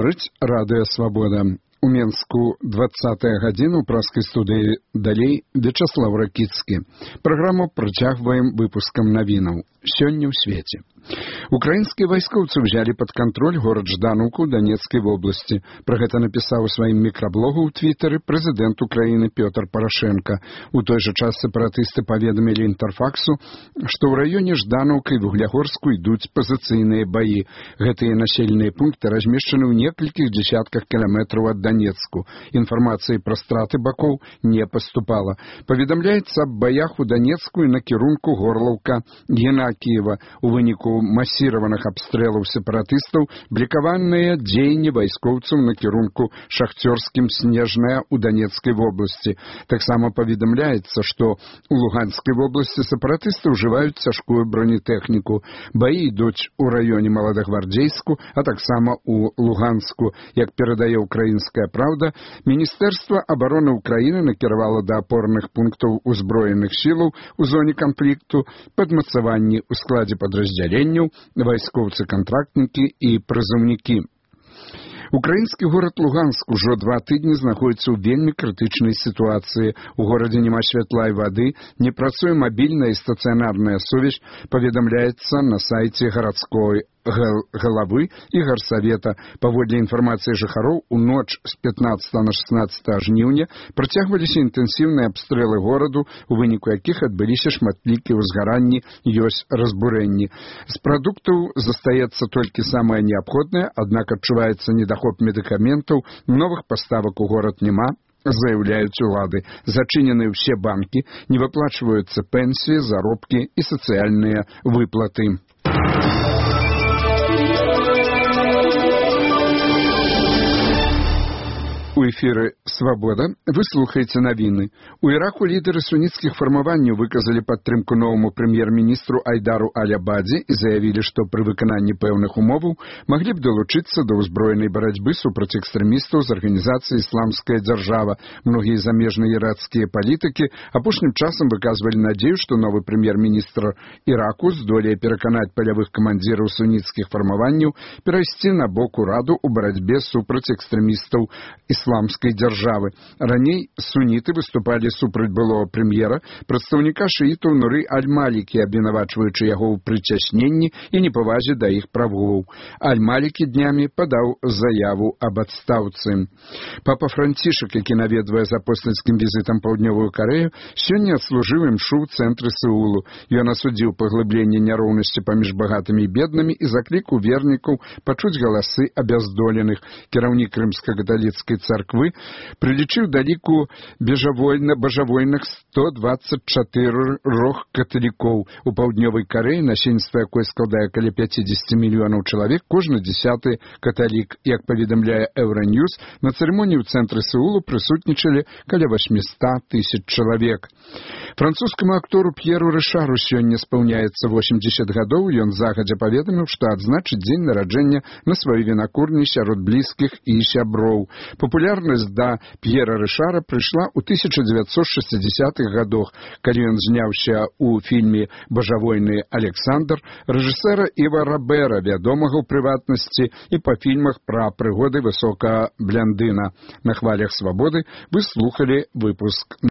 Гаворыць радыё «Свабода». У Менску 20-я гадзіна ў праскай студыі далей Вячаслав Ракіцкі. Праграму працягваем выпускам навінаў. Сёння ў свеце. Украінскія вайскоўцы ўзялі пад кантроль горад Жданаўку ў Данецкай вобласці. Пра гэта напісаў у сваім мікраблогу ў Твітары прэзідэнт Украіны Пётр Парашенка. У той жа час сепаратысты паведамілі Інтэрфаксу, што ў раёне Жданаўка і Вуглягорску ідуць пазіцыйныя баі. Гэтыя населеныя пункты размешчаны ў некалькіх дзесятках кіламетраў ад Данецку. Інфармацыі пра страты бакоў не паступала. Паведамляецца аб баях у Данецку і на кірунку Горлаўка-Геннакіева. У выніку масіраваных абстрэлаў сепаратыстаў блікаваныя дзеянні вайскоўцаў на кірунку Шахцёрскім Снежная ў Данецкай вобласці. Таксама паведамляецца, што ў Луганскай вобласці сепаратысты ўжываюць цяжкую бронетэхніку. Баі ідуць у раёне Маладагвардзейску, а таксама ў Луганску. Як перадае «Украінская правда», Міністэрства абароны Украіны накіравала да апорных пунктаў узброеных сілаў у зоне канфлікту падмацаванні ў складзе падраздзяленняў, вайскоўцы-кантрактнікі і прызыўнікі. Украінскі горад Луганск ужо 2 тыдні знаходзіцца ў вельмі крытычнай сітуацыі. У горадзе няма святла і вады, не працуе мабільная і стацыянарная сувязь, паведамляецца на сайце гарадской галавы і гарсавета. Паводле інфармацыі жыхароў, у ноч з 15 на 16 жніўня працягваліся інтэнсіўныя абстрэлы гораду, у выніку якіх адбыліся шматлікія ўзгаранні, ёсць разбурэнні. З прадуктаў застаецца толькі самае неабходнае, аднак адчуваецца недахоп медыкаментаў, новых паставак у горад няма, заяўляюць улады. Зачынены ўсе банкі, не выплачваюцца пенсіі, заробкі і сацыяльныя выплаты. У эфіры «Свабода» вы слухаеце навіны. У Іраку лідары суніцкіх фармаванняў выказалі падтрымку новаму прэм'ер-міністру Айдару Аль-Абадзі і заявілі, што пры выкананні пэўных умоваў маглі б далучыцца да ўзброенай барацьбы супраць экстрэмістаў з арганізацыі «Ісламская дзяржава». Многія замежныя іракскія палітыкі апошнім часам выказвалі надзею, што новы прэм'ер-міністр Іраку здолее пераканаць палявых камандзіраў суніцкіх фармаванняў перайсці на бок ураду ў барацьбе супраць экстрэмістаў ісламскай дзяржавы. Раней суніты выступалі супраць былога прэм'ера, прадстаўніка шыітаў Нуры Аль-Малікі, абвінавачваючы яго ў прыцясненні і непавазе да іх правоў. Аль-Малікі днямі падаў заяву аб адстаўцы. Папа Францішак, які наведвае з апостальскім візітам паўднёвую Карэю, сёння адслужыў імшу ў цэнтры Сеулу. Ён асудзіў паглыбленне няроўнасці паміж багатымі і беднымі і заклікаў вернікаў пачуць галасы абяздоленых. Кіраўнік рымска-каталіцкай царквы прылічыў да ліку бажавойных 124 каталікоў. У паўднёвай Карэі, насельніцтва якой складае каля 50 мільёнаў чалавек, кожны 10-ы каталік. Як паведамляе Еўраньюз, на цырымоніі ў цэнтры Сеулу прысутнічалі каля 800 тысяч чалавек. Французскаму актору П'еру Рышару сёння спаўняецца 80 гадоў. Ён загадзя паведаміў, што адзначыць дзень нараджэння на сваёй вінакурні сярод блізкіх і сяброў. Папулярнасць да П'ера Рышара прыйшла ў 1960-х гадах, калі ён зняўся ў фільме «Бажавойны Александр» рэжысэра Іва Рабера, вядомага ў прыватнасці і па фільмах пра прыгоды высокага блондына. На хвалях «Свабоды» вы слухалі выпуск